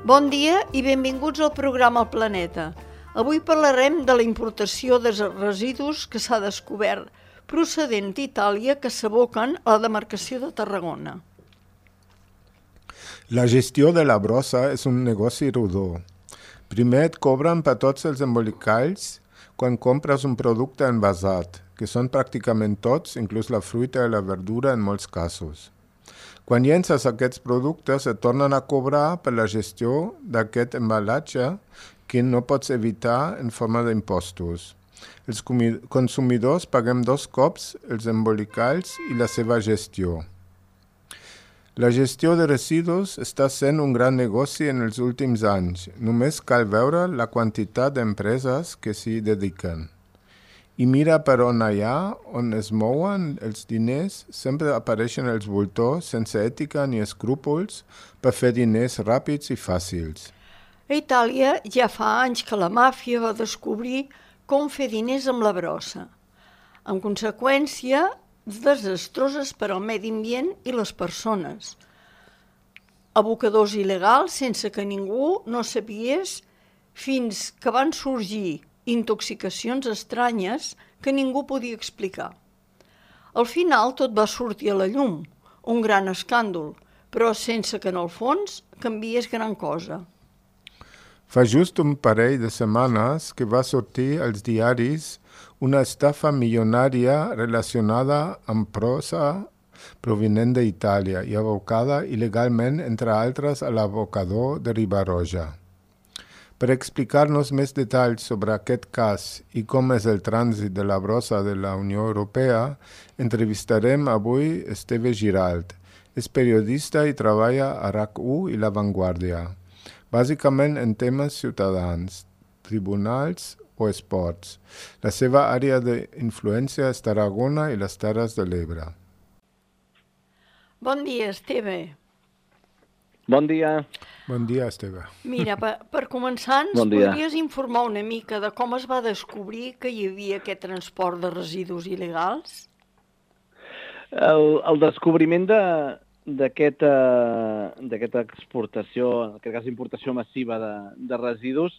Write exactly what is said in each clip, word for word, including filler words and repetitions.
Bon dia i benvinguts al programa El Planeta. Avui parlarem de la importació de residus que s'ha descobert procedent d'Itàlia que s'aboquen a la demarcació de Tarragona. La gestió de la brossa és un negoci rodó. Primer et cobren per tots els embolicalls quan compres un producte envasat, que són pràcticament tots, inclús la fruita i la verdura en molts casos. Quan llences aquests productes et tornen a cobrar per la gestió d'aquest embalatge que no pots evitar en forma d'impostos. Els consumidors paguem dos cops els embolicalls i la seva gestió. La gestió de residus està sent un gran negoci en els últims anys. Només cal veure la quantitat d'empreses que s'hi dediquen. I mira per on allà, on es mouen els diners, sempre apareixen els voltors sense ètica ni escrúpols per fer diners ràpids i fàcils. A Itàlia ja fa anys que la màfia va descobrir com fer diners amb la brossa. En conseqüència, desastroses per al medi ambient i les persones. Abocadors il·legals sense que ningú no sapies fins que van sorgir intoxicacions estranyes que ningú podia explicar. Al final tot va sortir a la llum, un gran escàndol, però sense que en el fons canviés gran cosa. Fa just un parell de setmanes que va sortir als diaris una estafa milionària relacionada amb brossa provinent d'Itàlia i abocada il·legalment, entre altres, a l'abocador de Riba-roja. Per explicar-nos més detalls sobre aquest cas i com és el trànsit de la brossa de la Unió Europea, entrevistarem avui Esteve Giralt. És periodista i treballa a RAC u i La Vanguardia, bàsicament en temes ciutadans, tribunals o esports. La seva àrea d'influència és Tarragona i les Terres de l'Ebre. Bon dia, Esteve. Bon dia. Bon dia, Esteve. Mira, per, per començar, ens bon podries informar una mica de com es va descobrir que hi havia aquest transport de residus il·legals? El, el descobriment d'aquesta de, exportació, en aquest cas importació massiva de, de residus,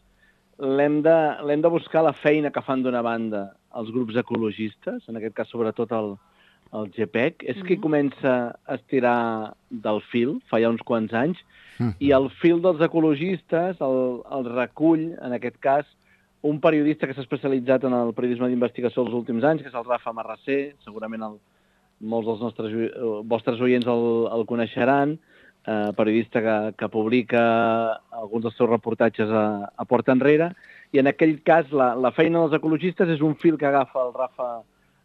l'hem de, l'hem de buscar la feina que fan d'una banda els grups ecologistes, en aquest cas sobretot el, el G P E C, és mm-hmm. qui comença a estirar del fil, fa ja uns quants anys, mm-hmm. i el fil dels ecologistes el, el recull, en aquest cas, un periodista que s'ha especialitzat en el periodisme d'investigació els últims anys, que és el Rafa Marrasser, segurament el, molts dels nostres vostres oients el, el coneixeran, eh, periodista que, que publica alguns dels seus reportatges a, a Porta Enrere, i en aquell cas la, la feina dels ecologistes és un fil que agafa el Rafa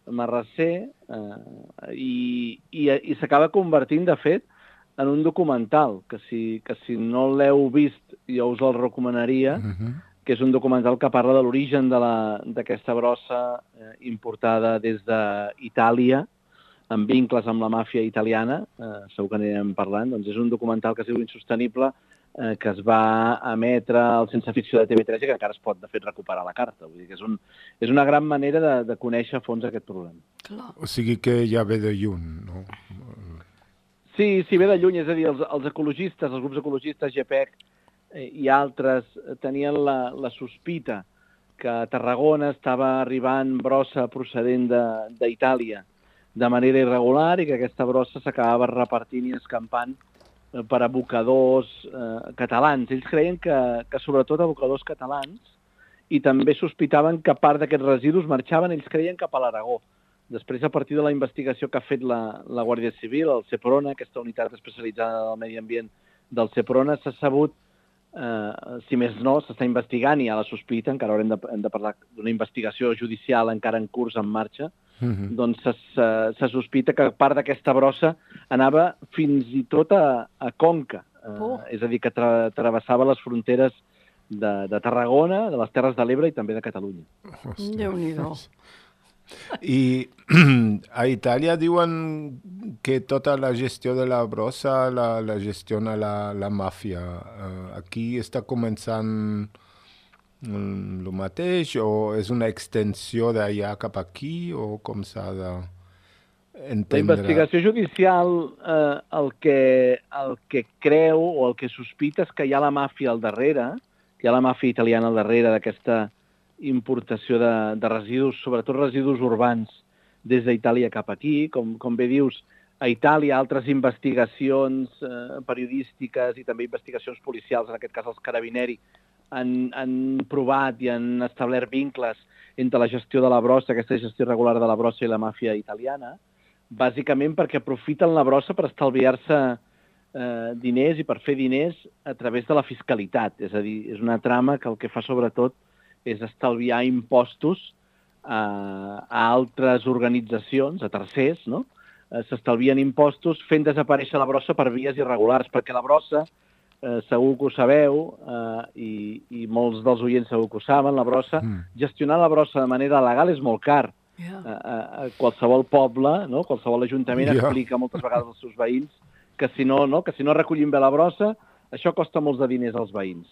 Marrasser eh, i, i, i s'acaba convertint, de fet, en un documental, que si, que si no l'heu vist jo us el recomanaria, uh-huh. que és un documental que parla de l'origen d'aquesta brossa eh, importada des d'Itàlia, amb vincles amb la màfia italiana, eh, segur que anirem parlant, doncs és un documental que es diu Insostenible, eh, que es va emetre al Sense Ficció de T V tres i que encara es pot, de fet, recuperar la carta. Vull dir que és, un, és una gran manera de, de conèixer a fons aquest problema. Clar. O sigui que ja ve de lluny, no? Sí, sí, ve de lluny, és a dir, els, els ecologistes, els grups ecologistes, G P E C eh, i altres, tenien la, la sospita que a Tarragona estava arribant brossa procedent d'Itàlia de manera irregular i que aquesta brossa s'acabava repartint i escampant eh, per abocadors eh, catalans. Ells creien que, que sobretot abocadors catalans, i també sospitaven que part d'aquests residus marxaven, ells creien, cap a l'Aragó. Després, a partir de la investigació que ha fet la, la Guàrdia Civil, el Seprona, aquesta unitat especialitzada del medi ambient del Seprona, s'ha sabut, eh, si més no, s'està investigant i hi ha la sospita, encara haurem de, hem de parlar d'una investigació judicial encara en curs, en marxa, mm-hmm. doncs se, se, se sospita que part d'aquesta brossa anava fins i tot a, a Conca, eh, oh. és a dir, que tra, travessava les fronteres de, de Tarragona, de les Terres de l'Ebre i també de Catalunya. Déu-n'hi-do. I a Itàlia diuen que tota la gestió de la brossa la, la gestiona la, la màfia. Uh, aquí està començant um, el mateix o és una extensió d'allà cap aquí o com s'ha de... entendre... La investigació judicial eh, el, que, el que creu o el que sospita és que hi ha la màfia al darrere, que hi ha la màfia italiana al darrere d'aquesta importació de, de residus, sobretot residus urbans, des d'Itàlia cap aquí. Com, com bé dius, a Itàlia altres investigacions eh, periodístiques i també investigacions policials, en aquest cas els Carabinieri, han, han provat i han establert vincles entre la gestió de la brossa, aquesta gestió regular de la brossa i la màfia italiana, bàsicament perquè aprofiten la brossa per estalviar-se eh, diners i per fer diners a través de la fiscalitat. És a dir, és una trama que el que fa sobretot és estalviar impostos a, a altres organitzacions, a tercers, no? Eh, s'estalvien impostos fent desaparèixer la brossa per vies irregulars, perquè la brossa, eh, segur que ho sabeu, eh, i, i molts dels oients segur que ho saben, la brossa, mm. gestionar la brossa de manera legal és molt car. Yeah. A, a, a qualsevol poble, no? Qualsevol ajuntament yeah. explica moltes vegades als seus veïns que si no, no? que si no recollim bé la brossa, això costa molts de diners als veïns.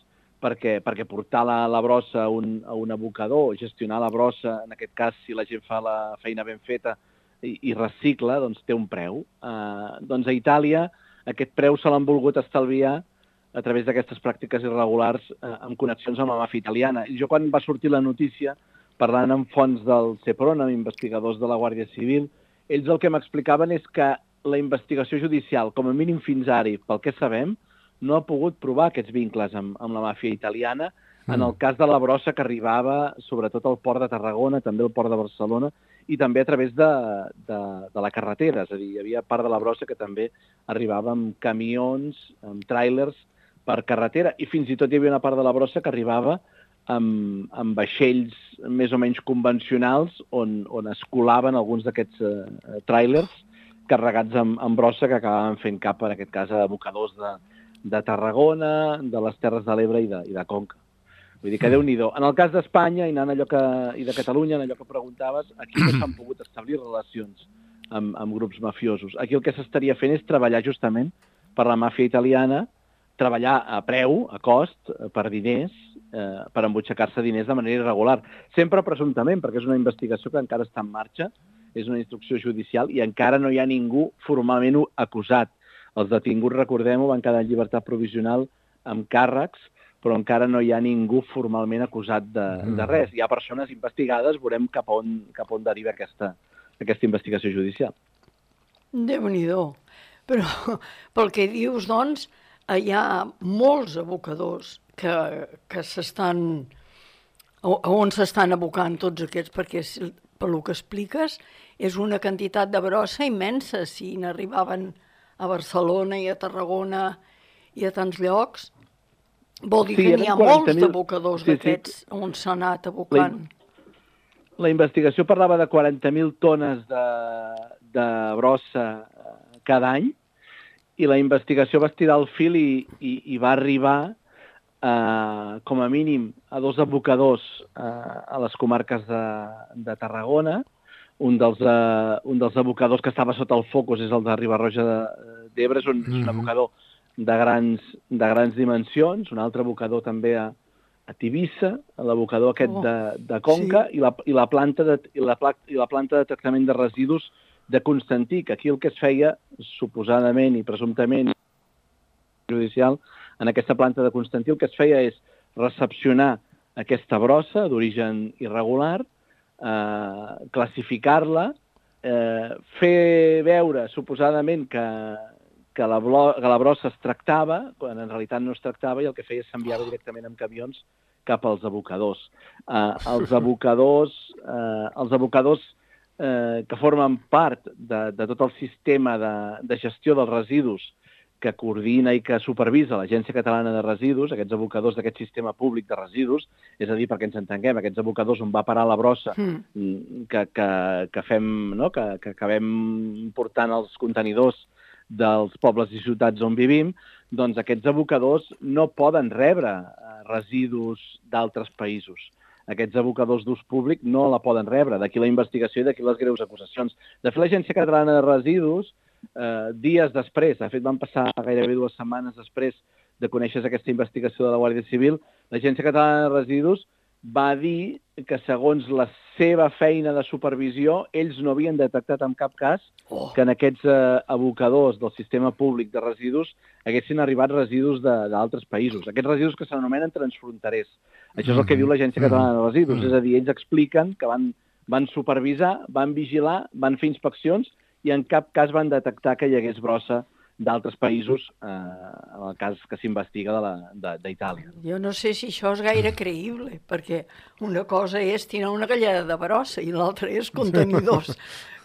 Perquè, perquè portar la, la brossa a un, a un abocador, gestionar la brossa, en aquest cas, si la gent fa la feina ben feta i, i recicla, doncs té un preu. Uh, doncs a Itàlia aquest preu se l'han volgut estalviar a través d'aquestes pràctiques irregulars uh, amb connexions amb la màfia italiana. I jo, quan va sortir la notícia, parlant amb fonts del Seprona, amb investigadors de la Guàrdia Civil, ells el que m'explicaven és que la investigació judicial, com a mínim fins ara, pel que sabem, no ha pogut provar aquests vincles amb, amb la màfia italiana. Mm. En el cas de la brossa que arribava sobretot al port de Tarragona, també al port de Barcelona, i també a través de, de, de la carretera. És a dir, hi havia part de la brossa que també arribava amb camions, amb tràilers per carretera, i fins i tot hi havia una part de la brossa que arribava amb, amb vaixells més o menys convencionals on, on es colaven alguns d'aquests eh, tràilers carregats amb, amb brossa que acabaven fent cap, en aquest cas, a abocadors de, de Tarragona, de les Terres de l'Ebre i de, i de Conca. Vull dir que Déu-n'hi-do. En el cas d'Espanya i, anant allò que, i de Catalunya, en allò que preguntaves, aquí no s'han pogut establir relacions amb, amb grups mafiosos. Aquí el que s'estaria fent és treballar justament per la màfia italiana, treballar a preu, a cost, per diners, eh, per embutxacar-se diners de manera irregular. Sempre presumptament, perquè és una investigació que encara està en marxa, és una instrucció judicial i encara no hi ha ningú formalment acusat. Els detinguts, recordem-ho, van quedar en llibertat provisional amb càrrecs, però encara no hi ha ningú formalment acusat de, de res. Hi ha persones investigades, veurem cap on, cap on deriva aquesta, aquesta investigació judicial. Déu-n'hi-do. Però pel que dius, doncs, hi ha molts abocadors que, que s'estan... on s'estan abocant tots aquests, perquè pel que expliques és una quantitat de brossa immensa. Si n'arribaven a Barcelona i a Tarragona i a tants llocs, vol dir sí, que n'hi ha molts d'abocadors sí, d'aquests sí. on s'ha anat abocant. La, la investigació parlava de quaranta mil tones de, de brossa cada any, i la investigació va estirar el fil i, i, i va arribar eh, com a mínim a dos abocadors eh, a les comarques de, de Tarragona. Un dels, eh, un dels abocadors que estava sota el focus és el de Riba-roja d'Ebre, és un, mm-hmm. és un abocador de grans, de grans dimensions, un altre abocador també a, a Tivissa, l'abocador aquest oh, de, de Conca, sí. i, la, i, la planta de, i, la, i la planta de tractament de residus de Constantí, que aquí el que es feia, suposadament i presumptament judicial, en aquesta planta de Constantí el que es feia és recepcionar aquesta brossa d'origen irregular, eh, classificar-la, eh, fer veure suposadament que, que, la blo- que la brossa es tractava, quan en realitat no es tractava, i el que feia és s'enviava directament amb camions cap als abocadors. Eh, els abocadors, eh, els abocadors Eh, que formen part de, de tot el sistema de, de gestió dels residus que coordina i que supervisa l'Agència Catalana de Residus, aquests abocadors d'aquest sistema públic de residus, és a dir, perquè ens entenguem, aquests abocadors on va parar la brossa mm. que, que, que, fem, no? que, que acabem portant els contenidors dels pobles i ciutats on vivim, doncs aquests abocadors no poden rebre residus d'altres països. Aquests abocadors d'ús públic no la poden rebre. D'aquí la investigació i d'aquí les greus acusacions. De fet, l'Agència Catalana de Residus, eh, dies després, de fet van passar gairebé dues setmanes després de conèixer aquesta investigació de la Guàrdia Civil, l'Agència Catalana de Residus va dir que segons les seva feina de supervisió, ells no havien detectat en cap cas Oh. que en aquests eh, abocadors del sistema públic de residus haguessin arribat residus de- d'altres països. Aquests residus que s'anomenen transfronterers. Això és el que diu l'Agència Catalana de Residus. És a dir, ells expliqen que van, van supervisar, van vigilar, van fer inspeccions i en cap cas van detectar que hi hagués brossa d'altres països, eh, en el cas que s'investiga de la- de- d'Itàlia. Jo no sé si això és gaire creïble, perquè una cosa és tirar una galleda de brossa i l'altra és contenidors,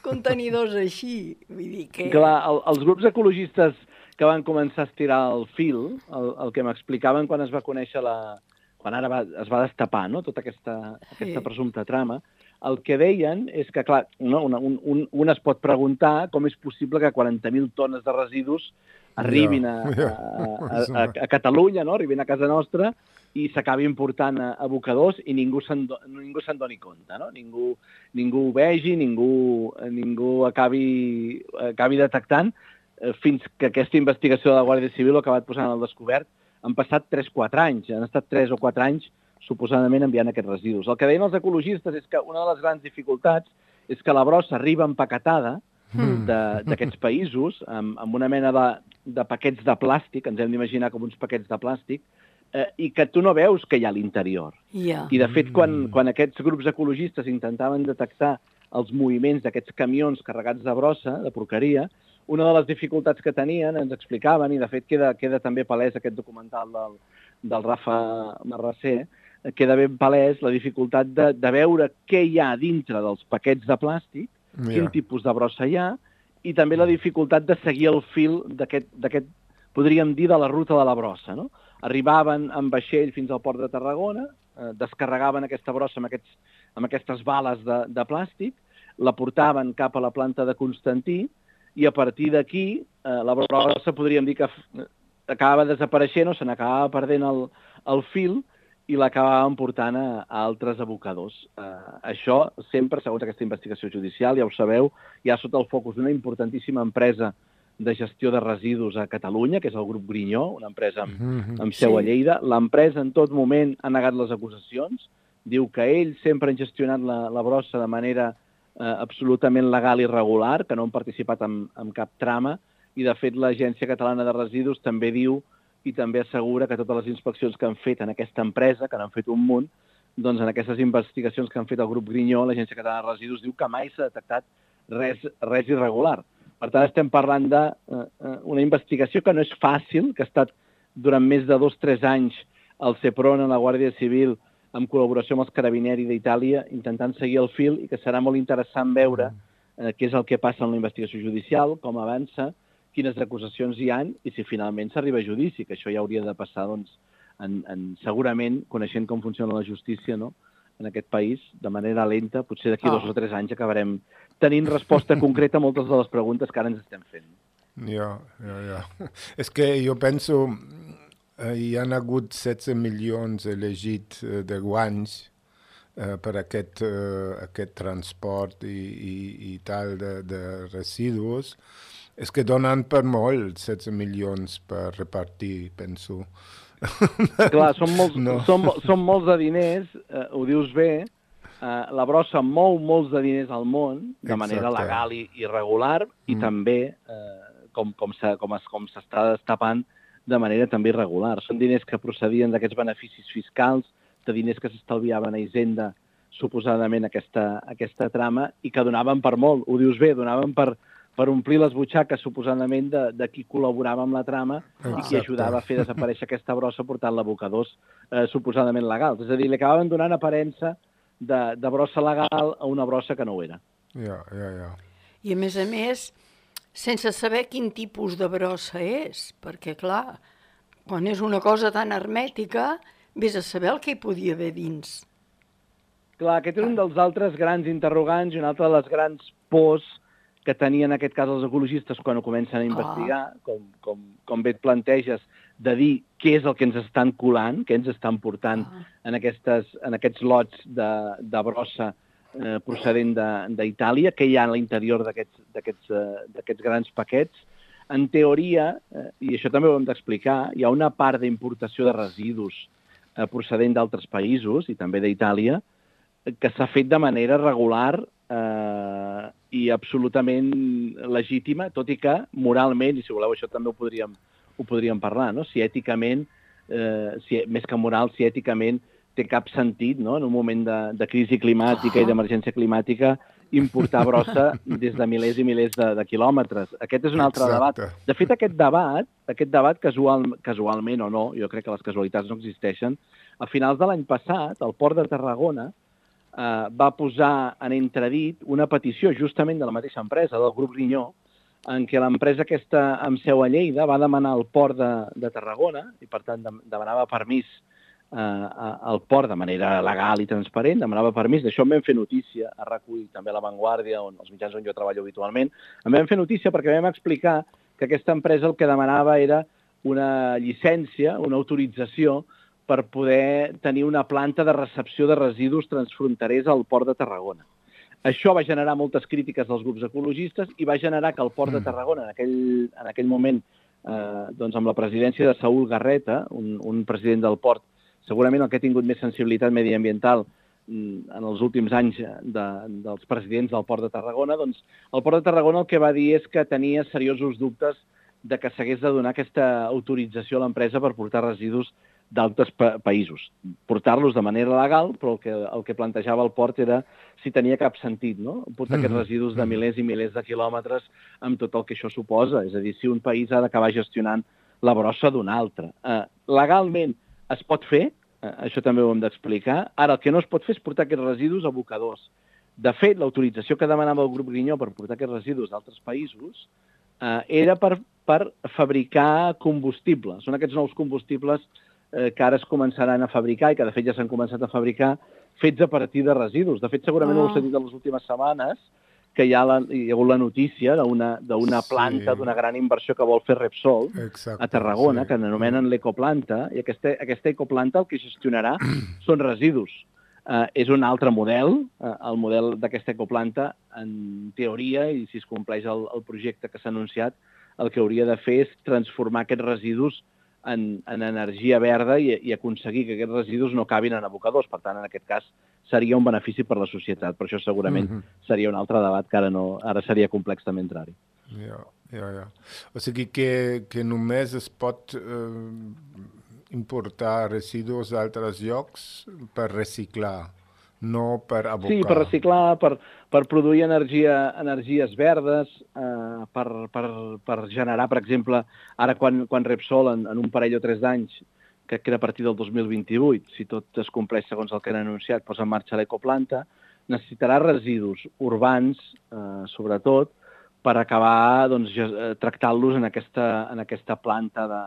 contenidors així. Vull dir que... Clar, el, els grups ecologistes que van començar a estirar el fil, el, el que m'explicaven quan es va conèixer la... quan ara va, es va destapar, no?, tota aquesta, aquesta Sí. presumpta trama, el que deien és que, clar, no, una, un, un, un es pot preguntar com és possible que quaranta mil tones de residus arribin a, a, a, a, a Catalunya, no?, arribin a casa nostra i s'acabi important a abocadors i ningú se'n do, ningú se'n doni compte, no? Ningú, ningú ho vegi, ningú, ningú acabi, acabi detectant, eh, fins que aquesta investigació de la Guàrdia Civil ho ha acabat posant al descobert. Han passat tres o quatre anys, han estat tres o quatre anys suposadament enviant aquests residus. El que deien els ecologistes és que una de les grans dificultats és que la brossa arriba empaquetada de- d'aquests països, amb, amb una mena de, de paquets de plàstic, ens hem d'imaginar com uns paquets de plàstic, eh, i que tu no veus què hi ha a l'interior. Ja. I, de fet, quan, quan aquests grups ecologistes intentaven detectar els moviments d'aquests camions carregats de brossa, de porqueria, una de les dificultats que tenien, ens explicaven, i de fet queda, queda també palès aquest documental del, del Rafa Marrasser, eh, queda ben palès la dificultat de, de veure què hi ha dintre dels paquets de plàstic, Ja. quin tipus de brossa hi ha, i també la dificultat de seguir el fil d'aquest, d'aquest, podríem dir, de la ruta de la brossa, no? Arribaven amb vaixell fins al port de Tarragona, eh, descarregaven aquesta brossa amb, aquests, amb aquestes bales de, de plàstic, la portaven cap a la planta de Constantí, i a partir d'aquí eh, la brossa podríem dir que f- acabava desapareixent o se n'acabava perdent el, el fil i l'acabaven portant a, a altres abocadors. Eh, això sempre, segons aquesta investigació judicial, ja ho sabeu, hi ha sota el focus d'una importantíssima empresa de gestió de residus a Catalunya, que és el grup Grinyó, una empresa amb, amb seu a Sí. Lleida. L'empresa en tot moment ha negat les acusacions, diu que ells sempre han gestionat la, la brossa de manera eh, absolutament legal i regular, que no han participat en, en cap trama, i de fet l'Agència Catalana de Residus també diu i també assegura que totes les inspeccions que han fet en aquesta empresa, que n'han fet un munt, doncs en aquestes investigacions que han fet el grup Grinyó, l'Agència Catalana de Residus diu que mai s'ha detectat res, res irregular. Per tant, estem parlant d'una investigació que no és fàcil, que ha estat durant més de dos o tres anys al CEPRON, a la Guàrdia Civil, en col·laboració amb els Carabinieri d'Itàlia, intentant seguir el fil, i que serà molt interessant veure eh, què és el que passa en la investigació judicial, com avança, quines acusacions hi han i si finalment s'arriba a judici, que això ja hauria de passar, doncs, en, en, segurament, coneixent com funciona la justícia, no?, en aquest país, de manera lenta, potser d'aquí Oh. dos o tres anys acabarem tenint resposta concreta a moltes de les preguntes que ara ens estem fent. Ja, ja, ja. És que jo penso, eh, hi han hagut setze milions elegits eh, de guanys eh, per aquest, eh, aquest transport i, i, i tal de, de residus. És que donen per molt setze milions per repartir, penso. Clar, són molts, No. no. són, mo- són molts de diners, eh, ho dius bé, eh, la brossa mou molts de diners al món, de manera Exacte. legal i, i regular, i Mm. també eh, com, com, s'ha- com, es, com s'està destapant de manera també irregular. Són diners que procedien d'aquests beneficis fiscals, de diners que s'estalviaven a Hisenda, suposadament aquesta, aquesta trama, i que donaven per molt, ho dius bé, donaven per, per omplir les butxaques, suposadament, de, de qui col·laborava amb la trama i qui Exacte. ajudava a fer desaparèixer aquesta brossa portant-la a abocadors eh, suposadament legals. És a dir, li acabaven donant aparença de, de brossa legal a una brossa que no ho era. Ja, ja, ja. I a més a més, sense saber quin tipus de brossa és, perquè clar, quan és una cosa tan hermètica, vés a saber el que hi podia haver dins. Clar, aquest és un dels altres grans interrogants i una altra de les grans pors que tenien en aquest cas els ecologistes quan ho comencen a investigar, com, com, com bé et planteges, de dir què és el que ens estan colant, què ens estan portant Ah. en, aquestes, en aquests lots de, de brossa eh, procedent de- d'Itàlia, què hi ha a l'interior d'aquests d'aquests, eh, d'aquests grans paquets. En teoria, eh, i això també ho hem d'explicar, hi ha una part d'importació de residus eh, procedent d'altres països, i també d'Itàlia, que s'ha fet de manera regular eh, i absolutament legítima, tot i que moralment, i si voleu això també ho podríem, ho podríem parlar, no? Si èticament, eh, si, més que moral, si èticament té cap sentit, no? En un moment de, de crisi climàtica i d'emergència climàtica, importar brossa des de milers i milers de, de quilòmetres. Aquest és un altre Exacte. debat. De fet, aquest debat, aquest debat casual, casualment o no, jo crec que les casualitats no existeixen, a finals de l'any passat, el Port de Tarragona eh, va posar en entredit una petició justament de la mateixa empresa, del grup Rinyó, en què l'empresa aquesta amb seu a Lleida va demanar al Port de, de Tarragona, i per tant de, demanava permís eh, al port de manera legal i transparent, demanava permís, d'això en vam fer notícia, a recull també a La Vanguardia, on els mitjans on jo treballo habitualment, en vam fer notícia perquè vam explicar que aquesta empresa el que demanava era una llicència, una autorització per poder tenir una planta de recepció de residus transfronterers al Port de Tarragona. Això va generar moltes crítiques dels grups ecologistes i va generar que el Port de Tarragona, en aquell, en aquell moment, eh, doncs amb la presidència de Saúl Garreta, un, un president del port, segurament el que ha tingut més sensibilitat mediambiental en els últims anys de, dels presidents del Port de Tarragona, doncs el Port de Tarragona el que va dir és que tenia seriosos dubtes de que s'hagués de donar aquesta autorització a l'empresa per portar residus d'altres pa països. Portar-los de manera legal, però el que, el que plantejava el port era si tenia cap sentit, no? Portar aquests residus de milers i milers de quilòmetres amb tot el que això suposa. És a dir, si un país ha d'acabar gestionant la brossa d'un altre. Eh, legalment es pot fer, eh, això també ho hem d'explicar. Ara, el que no es pot fer és portar aquests residus a abocadors. De fet, l'autorització que demanava el grup Grinyó per portar aquests residus d'altres països eh, era per, per fabricar combustible. Són aquests nous combustibles eh, que ara es començaran a fabricar i que de fet ja s'han començat a fabricar fets a partir de residus. De fet, segurament oh. ho heu sentit en les últimes setmanes, que hi ha, la, hi ha hagut la notícia d'una planta, sí. d'una gran inversió que vol fer Repsol Exacte, a Tarragona, sí. que anomenen l'ecoplanta, i aquesta, aquesta ecoplanta el que gestionarà són residus. Uh, és un altre model, uh, el model d'aquesta ecoplanta, en teoria, i si es compleix el, el projecte que s'ha anunciat, el que hauria de fer és transformar aquests residus en, en energia verda i, i aconseguir que aquests residus no acabin en abocadors. Per tant, en aquest cas, seria un benefici per la societat. Per això segurament mm-hmm. seria un altre debat que ara, no, ara seria complex també entrar-hi. Ja, ja, ja. O sigui que, que només es pot eh, importar residus d'altres llocs per reciclar, no per abocar. Sí, per reciclar, per, per produir energia, energies verdes, eh, per, per, per generar, per exemple, ara quan, quan Repsol, en, en un parell o tres d'anys, crec que era a partir del dos mil vint-i-vuit, si tot es compleix segons el que han anunciat, posa en marxa l'ecoplanta, necessitarà residus urbans, eh, sobretot, per acabar doncs, tractant-los en aquesta, en aquesta planta de,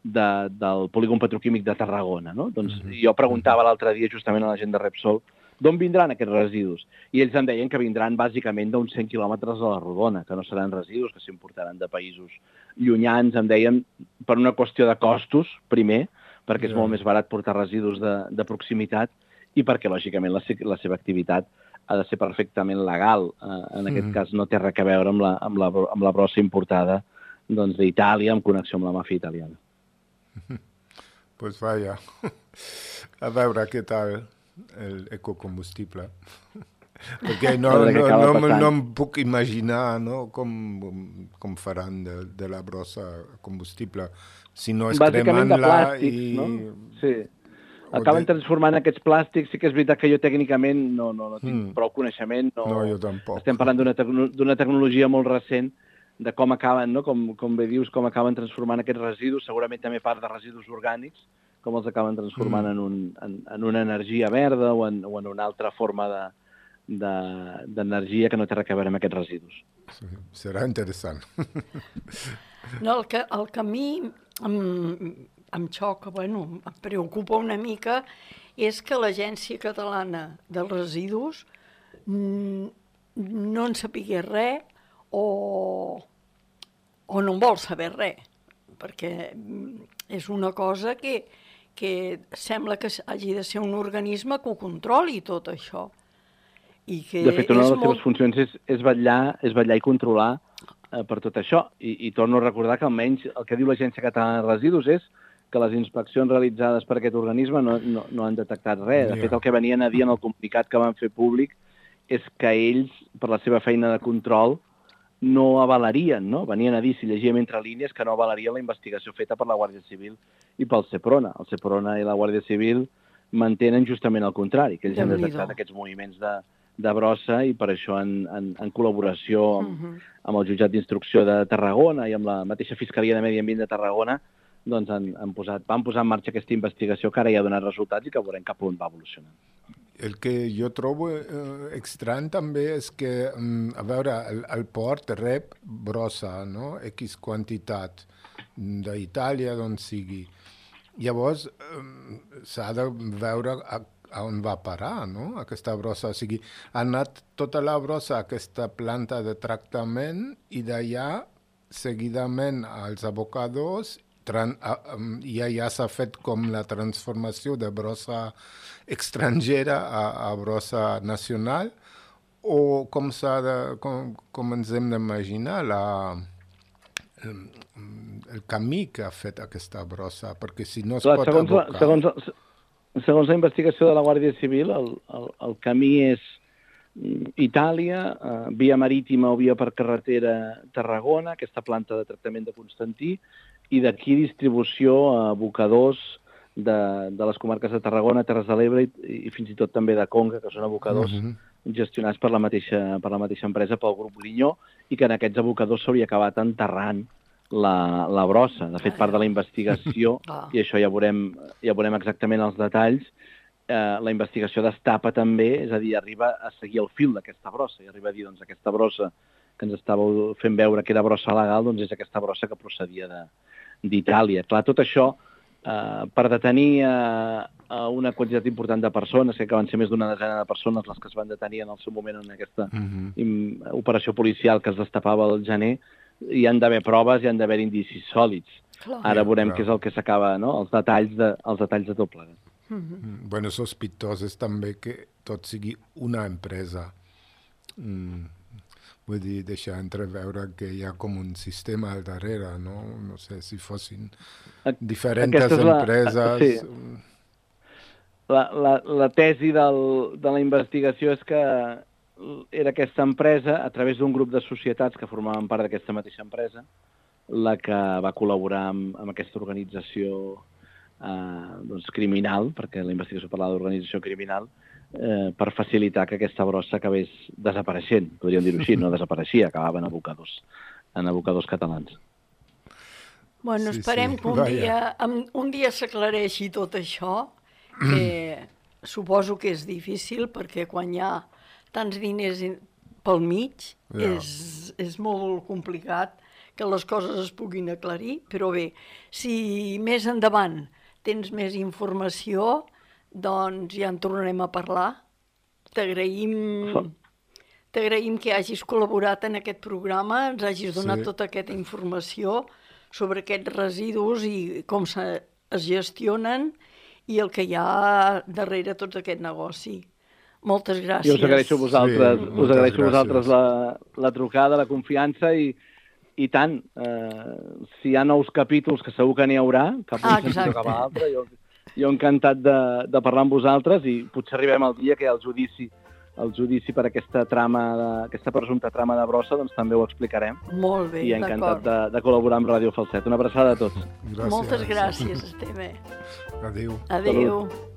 de, del polígon petroquímic de Tarragona. No? Doncs mm-hmm. jo preguntava l'altre dia justament a la gent de Repsol d'on vindran aquests residus? I ells em deien que vindran bàsicament d'uns cent quilòmetres a la rodona, que no seran residus, que s'importaran de països llunyans, em deien, per una qüestió de costos, primer, perquè és yeah. molt més barat portar residus de, de proximitat i perquè, lògicament, la, la seva activitat ha de ser perfectament legal. Eh, en aquest mm. cas no té res a veure amb la, amb la, amb la brossa importada doncs, d'Itàlia, en connexió amb la màfia italiana. Pues vaya. A veure què tal el ecocombustible. Perquè no, no, no, no, no em puc imaginar no, com, com faran de, de la brossa combustible. Si no és cremant-la i... No? Sí. Acaben de... transformant aquests plàstics. Sí que és veritat que jo tècnicament no, no, no tinc mm. prou coneixement. No, no, jo tampoc. Estem parlant d'una tecno tecnologia molt recent de com acaben, no? com, com bé dius, com acaben transformant aquests residus, segurament també part de residus orgànics, com els acaben transformant mm. en, un, en, en una energia verda o en, o en una altra forma de d'energia que no té res a veure amb aquests residus. Sí, serà interessant. No, el que, el que a mi em, em xoca, bueno, em preocupa una mica, és que l'Agència Catalana dels Residus no en sapigués res o, o no en vol saber res, perquè és una cosa que, que sembla que hagi de ser un organisme que ho controli tot això. I que de fet, una de les molt... seves funcions és, és, vetllar, és vetllar i controlar eh, per tot això. I, I torno a recordar que almenys el que diu l'Agència Catalana de Residus és que les inspeccions realitzades per aquest organisme no, no, no han detectat res. De fet, el que venien a dir en el comunicat que van fer públic és que ells, per la seva feina de control, no avalarien, no? Venien a dir, si llegíem entre línies, que no avalarien la investigació feta per la Guàrdia Civil i pel Seprona. El Seprona i la Guàrdia Civil mantenen justament el contrari, que ells han detectat aquests moviments de, de brossa i per això en, en, en col·laboració amb, uh-huh. amb el jutjat d'instrucció de Tarragona i amb la mateixa Fiscalia de Medi Ambient de Tarragona, doncs han, han posat, van posar en marxa aquesta investigació que ara ja ha donat resultats i que veurem cap on va evolucionant. El que jo trobo eh, estrany també és que, a veure, el, el port rep brossa, no? X quantitat d'Itàlia, d'on sigui. Llavors, eh, s'ha de veure a, a on va parar, no? Aquesta brossa. O sigui, ha anat tota la brossa a aquesta planta de tractament i d'allà, seguidament, als abocadors, Tran, uh, i ja s'ha fet com la transformació de brossa estrangera a, a brossa nacional, o com, s'ha de, com, com ens hem d'imaginar la, el, el camí que ha fet aquesta brossa, perquè si no es Clar, pot segons abocar... La, segons, segons la investigació de la Guàrdia Civil, el, el, el camí és Itàlia, eh, via marítima o via per carretera Tarragona, aquesta planta de tractament de Constantí, i d'aquí distribució a abocadors de, de les comarques de Tarragona, Terres de l'Ebre i, i fins i tot també de Conca, que són abocadors uh-huh. gestionats per la, mateixa, per la mateixa empresa, pel grup Grinyó, i que en aquests abocadors s'hauria acabat enterrant la, la brossa. De fet, part de la investigació, i això ja veurem, ja veurem exactament els detalls, eh, la investigació destapa també, és a dir, arriba a seguir el fil d'aquesta brossa, i arriba a dir, doncs, aquesta brossa que ens estàveu fent veure que era brossa legal, doncs és aquesta brossa que procedia de d'Itàlia. Clar, tot això eh, per detenir eh, una quantitat important de persones, que van ser més d'una desena de persones les que es van detenir en el seu moment en aquesta uh-huh. im, operació policial que es destapava al gener, hi han d'haver proves, hi han d'haver indicis sòlids. Clar. Ara veurem clar. Què és el que s'acaba, no? Els detalls de, els detalls de tot plegat. Uh-huh. Bueno, sospitós és també que tot sigui una empresa. Mm. Vull dir, deixar entreveure que hi ha com un sistema al darrere, no? No sé, si fossin diferents la, empreses... Sí. La, la, la tesi del, de la investigació és que era aquesta empresa, a través d'un grup de societats que formaven part d'aquesta mateixa empresa, la que va col·laborar amb, amb aquesta organització eh, doncs, criminal, perquè la investigació parlava d'organització criminal, Eh, per facilitar que aquesta brossa acabés desapareixent, podríem dir-ho així, no desapareixia, acabava en abocadors, en abocadors catalans. Bueno, sí, esperem sí. que un Vaya. dia, un dia s'aclareixi tot això, que suposo que és difícil, perquè quan hi ha tants diners pel mig, ja. és, és molt complicat que les coses es puguin aclarir, però bé, si més endavant tens més informació, doncs ja en tornarem a parlar. T'agraïm, t'agraïm que hagis col·laborat en aquest programa, ens hagis donat sí. tota aquesta informació sobre aquests residus i com se, es gestionen i el que hi ha darrere tot aquest negoci. Moltes gràcies. Jo us agraeixo a vosaltres, sí, us agraeixo a vosaltres la, la trucada, la confiança i, i tant. Eh, si hi ha nous capítols, que segur que n'hi haurà, cap un ah, sentit cap a l'altre, jo... Jo encantat de, de parlar amb vosaltres i potser arribem al dia que hi ha el judici, el judici per aquesta trama, de, aquesta presumpta trama de brossa, doncs també ho explicarem. Molt bé, I encantat de, de col·laborar amb Ràdio Falset. Una abraçada a tots. Gràcies. Moltes gràcies, Esteve. Adéu. Adéu. Salut.